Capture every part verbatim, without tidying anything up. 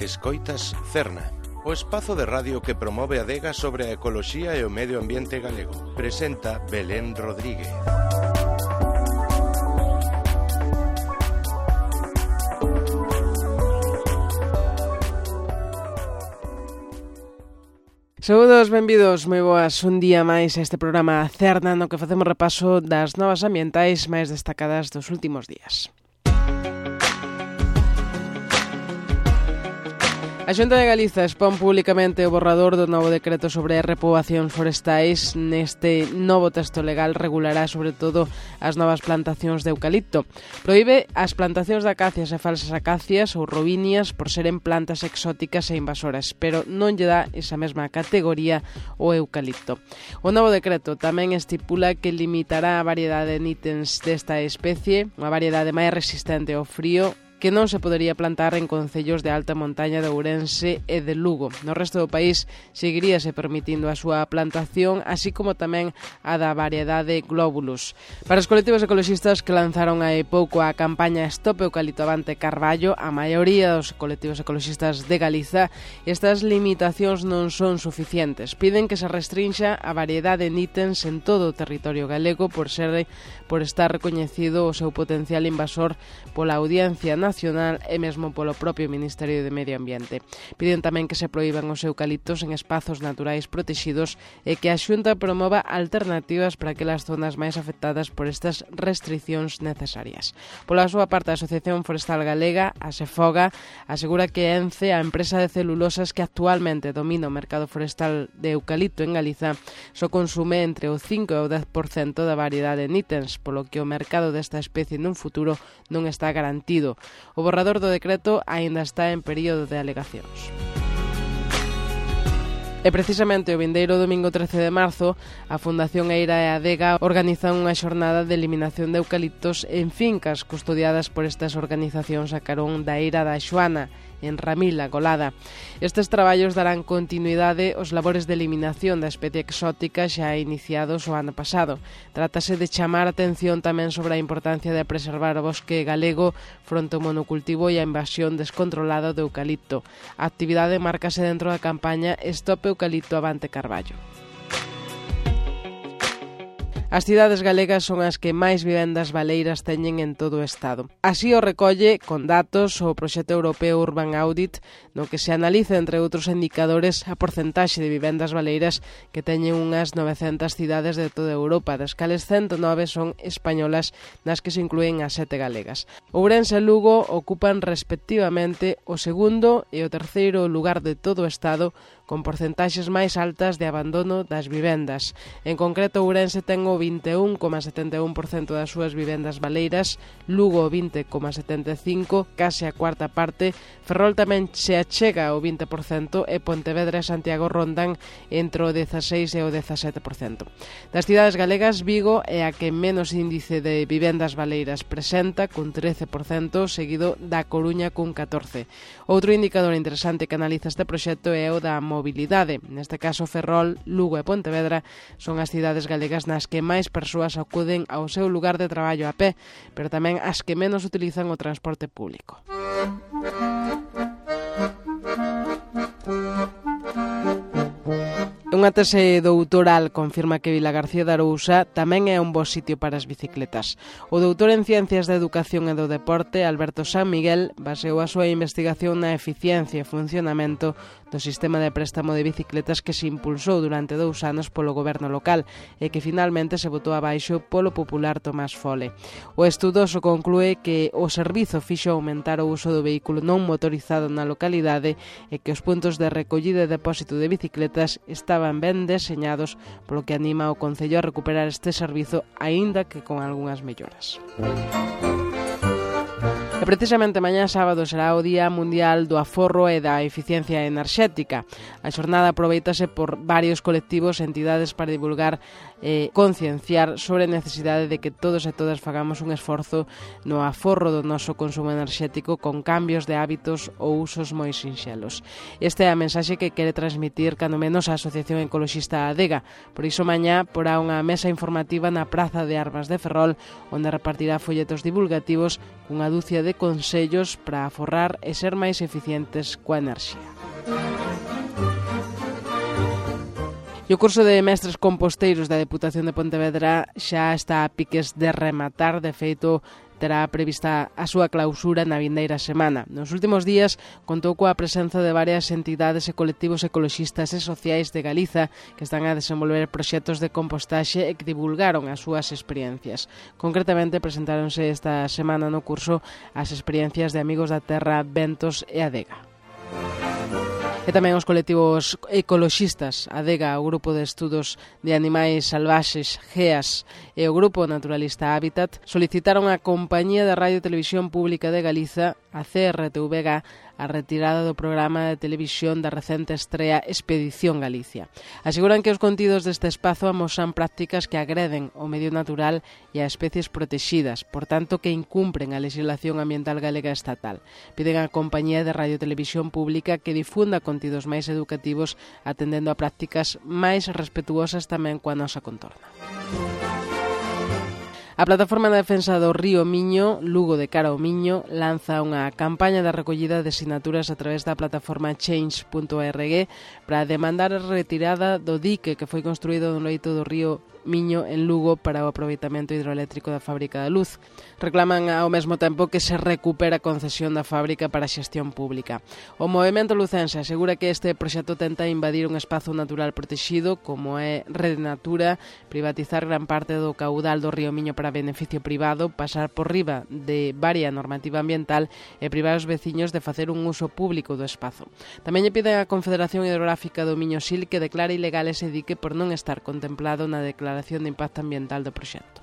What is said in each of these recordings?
Escoitas Cerna, o espazo de radio que promove a adega sobre a ecoloxía e o medio ambiente galego. Presenta Belén Rodríguez. Saúdos, benvidos, moi boas, un día máis a este programa Cerna no que facemos repaso das novas ambientais máis destacadas dos últimos días. A Xunta de Galiza expón públicamente o borrador do novo decreto sobre a repoboación forestais. Neste novo texto legal regulará sobre todo as novas plantacións de eucalipto. Proíbe as plantacións de acacias e falsas acacias ou robinias por seren plantas exóticas e invasoras, pero non lle dá esa mesma categoría o eucalipto. O novo decreto tamén estipula que limitará a variedade de nítens desta especie, unha variedade máis resistente ao frío, que non se podería plantar en concellos de alta montaña de Ourense e de Lugo. No resto do país seguiríase permitindo a súa plantación, así como tamén a da variedade Globulus. Para os colectivos ecoloxistas que lanzaron hai pouco a campaña Stop Eucalipto Avante Carballo, a maioría dos colectivos ecoloxistas de Galiza, estas limitacións non son suficientes. Piden que se restrinxa a variedade de nítens en todo o territorio galego por ser por estar recoñecido o seu potencial invasor pola Audiencia Nacional e mesmo polo propio Ministerio de Medio Ambiente. Piden tamén que se proíban os eucaliptos en espazos naturais protexidos e que a Xunta promova alternativas para aquelas zonas máis afectadas por estas restriccións necesarias. Pola súa parte, a Asociación Forestal Galega, a SEFOGA, asegura que ENCE, a empresa de celulosas que actualmente domina o mercado forestal de eucalipto en Galiza, só consume entre o cinco e o dez por cento da variedade de nítens, polo que o mercado desta especie nun futuro non está garantido. O borrador do decreto aínda está en período de alegacións. E precisamente o vindeiro domingo trece de marzo, a Fundación Eira e a Adega organizan unha xornada de eliminación de eucaliptos en fincas custodiadas por estas organizacións a carón da Eira da Xoana, en Ramila, Golada. Estes traballos darán continuidade aos labores de eliminación da especie exótica xa iniciados o ano pasado. Trátase de chamar a atención tamén sobre a importancia de preservar o bosque galego fronte ao monocultivo e a invasión descontrolada do eucalipto. A actividade márcase dentro da campaña Stop Eucalipto Avante Carballo. As cidades galegas son as que máis vivendas baleiras teñen en todo o Estado. Así o recolle, con datos, o proxecto europeo Urban Audit, no que se analiza, entre outros indicadores, a porcentaxe de vivendas baleiras que teñen unhas novecentas cidades de toda Europa, das cales ciento nove son españolas, nas que se inclúen as sete galegas. Ourense e Lugo ocupan respectivamente o segundo e o terceiro lugar de todo o Estado, con porcentaxes máis altas de abandono das vivendas. En concreto, Ourense ten o vinte e un coma setenta e un por cento das súas vivendas baleiras, Lugo o vinte coma setenta e cinco por cento, case a cuarta parte, Ferrol tamén se achega ao vinte por cento e Pontevedra e Santiago rondan entre o dezaseis e o dezasete por cento. Das cidades galegas, Vigo é a que menos índice de vivendas baleiras presenta, cun trece por cento, seguido da Coruña cun catorce por cento. Outro indicador interesante que analiza este proxecto é o da mobilidade. Neste caso, Ferrol, Lugo e Pontevedra son as cidades galegas nas que máis persoas acuden ao seu lugar de traballo a pé, pero tamén as que menos utilizan o transporte público. Unha tese doutoral confirma que Vilagarcía de Arousa tamén é un bo sitio para as bicicletas. O doutor en Ciencias da Educación e do Deporte, Alberto San Miguel, baseou a súa investigación na eficiencia e funcionamento do sistema de préstamo de bicicletas que se impulsou durante dous anos polo goberno local e que finalmente se botou abaixo polo popular Tomás Fole. O estudoso conclúe que o servizo fixo aumentar o uso do vehículo non motorizado na localidade e que os puntos de recollida e depósito de bicicletas estaban ben deseñados, polo que anima o Concello a recuperar este servizo, aínda que con algunhas melloras. E precisamente mañá sábado será o Día Mundial do Aforro e da Eficiencia Enerxética. A xornada aproveitase por varios colectivos e entidades para divulgar e concienciar sobre a necesidade de que todos e todas fagamos un esforzo no aforro do noso consumo enerxético con cambios de hábitos ou usos moi sinxelos. Esta é a mensaxe que quere transmitir cando menos a Asociación Ecoloxista Adega. Por iso mañá porá unha mesa informativa na Praza de Armas de Ferrol, onde repartirá folletos divulgativos cunha dúcia de consellos para aforrar e ser máis eficientes coa enerxía. E o curso de mestres composteiros da Deputación de Pontevedra xa está a piques de rematar. De feito, terá prevista a súa clausura na vindeira semana. Nos últimos días contou coa presenza de varias entidades e colectivos ecoloxistas e sociais de Galiza que están a desenvolver proxectos de compostaxe e que divulgaron as súas experiencias. Concretamente, presentáronse esta semana no curso as experiencias de Amigos da Terra, Ventos e Adega. E tamén os colectivos ecoloxistas Adega, o Grupo de Estudos de Animais Salvaxes G E A S e o Grupo Naturalista Hábitat solicitaron á Compañía de Radio e Televisión Pública de Galiza, a C R T V G, a retirada do programa de televisión da recente estrea Expedición Galicia. Aseguran que os contidos deste espazo amosan prácticas que agreden o medio natural e a especies protexidas, por tanto que incumpren a legislación ambiental galega estatal. Piden á Compañía de Radio e Televisión Pública que difunda contidos máis educativos atendendo a prácticas máis respetuosas tamén coa nosa contorna. A Plataforma de Defensa do Río Miño, Lugo de Cara ao Miño, lanza unha campaña de recollida de sinaturas a través da plataforma change punto org para demandar a retirada do dique que foi construído no leito do río Miño en Lugo para o aproveitamento hidroeléctrico da fábrica da luz. Reclaman ao mesmo tempo que se recupera a concesión da fábrica para a xestión pública. O movemento lucense asegura que este proxecto tenta invadir un espazo natural protexido como é Rede Natura, privatizar gran parte do caudal do río Miño para beneficio privado, pasar por riba de varia normativa ambiental e privar os veciños de facer un uso público do espazo. Tamén lle piden á Confederación Hidrográfica do Miño-Sil que declare ilegal ese dique por non estar contemplado na declaración de impacto ambiental do proxecto.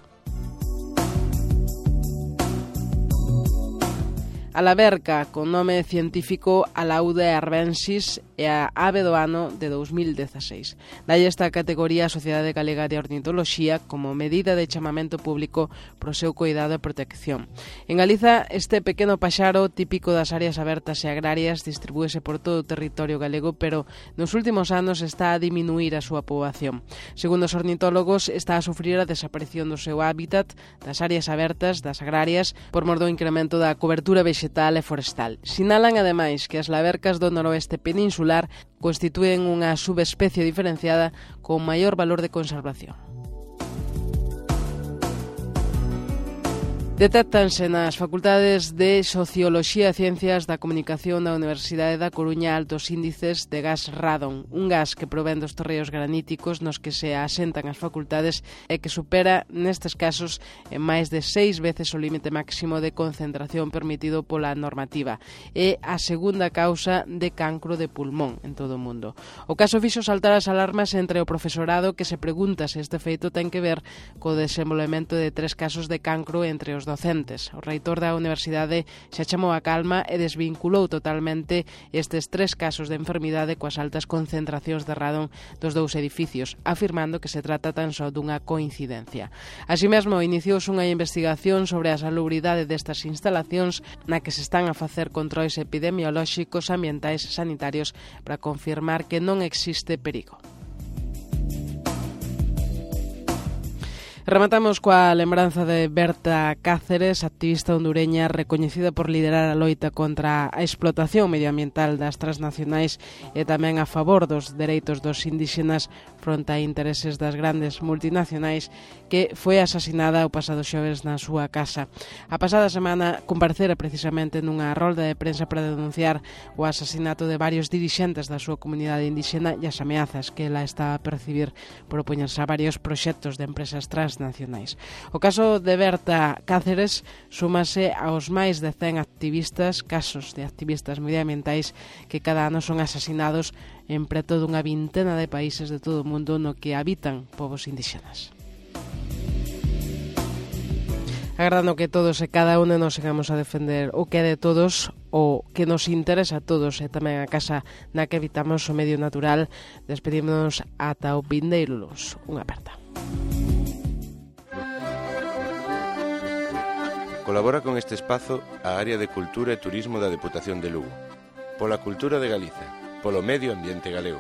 A laverca, con nome científico Alauda arbensis, é a ave do ano de dous mil dezaseis. Dalle esta categoría a Sociedade Galega de Ornitoloxía como medida de chamamento público pro seu cuidado e protección. En Galiza, este pequeno paxaro típico das áreas abertas e agrarias distribúese por todo o territorio galego, pero nos últimos anos está a diminuir a súa poboación. Segundo os ornitólogos, está a sufrir a desaparición do seu hábitat, das áreas abertas, das agrarias, por mor do incremento da cobertura vegetal e forestal. Sinalan, ademais, que as lavercas do noroeste peninsular constitúen unha subespecie diferenciada con maior valor de conservación. Detéctanse nas facultades de Socioloxía e Ciencias da Comunicación da Universidade da Coruña altos índices de gas radon, un gas que provén dos terreos graníticos nos que se asentan as facultades e que supera, nestes casos, en máis de seis veces o límite máximo de concentración permitido pola normativa. É a segunda causa de cancro de pulmón en todo o mundo. O caso fixo saltar as alarmas entre o profesorado que se pregunta se este feito ten que ver co desenvolvemento de tres casos de cancro entre os docentes. O reitor da universidade xa chamou a calma e desvinculou totalmente estes tres casos de enfermidade coas altas concentracións de radon dos dous edificios, afirmando que se trata tan só dunha coincidencia. Así mesmo, iniciouse unha investigación sobre a salubridade destas instalacións na que se están a facer controis epidemiolóxicos, ambientais e sanitarios para confirmar que non existe perigo. Rematamos coa lembranza de Berta Cáceres, activista hondureña recoñecida por liderar a loita contra a explotación medioambiental das transnacionais e tamén a favor dos dereitos dos indígenas fronte a intereses das grandes multinacionais, que foi asasinada o pasado xoves na súa casa. A pasada semana comparecera precisamente nunha rolda de prensa para denunciar o asasinato de varios dirixentes da súa comunidade indígena e as ameazas que ela está a percibir por opoñerse a varios proxectos de empresas transnacionais. O caso de Berta Cáceres súmase aos máis de cen activistas, casos de activistas medioambientais que cada ano son asasinados en preto dunha vintena de países de todo o mundo no que habitan povos indígenas. Agardando que todos e cada uno nos sigamos a defender o que é de todos, o que nos interesa a todos e tamén a casa na que habitamos o medio natural, despedímonos ata o vindeiro luns. Unha aperta. Colabora con este espazo a área de Cultura e Turismo da Deputación de Lugo. Pola cultura de Galicia, polo medio ambiente galego.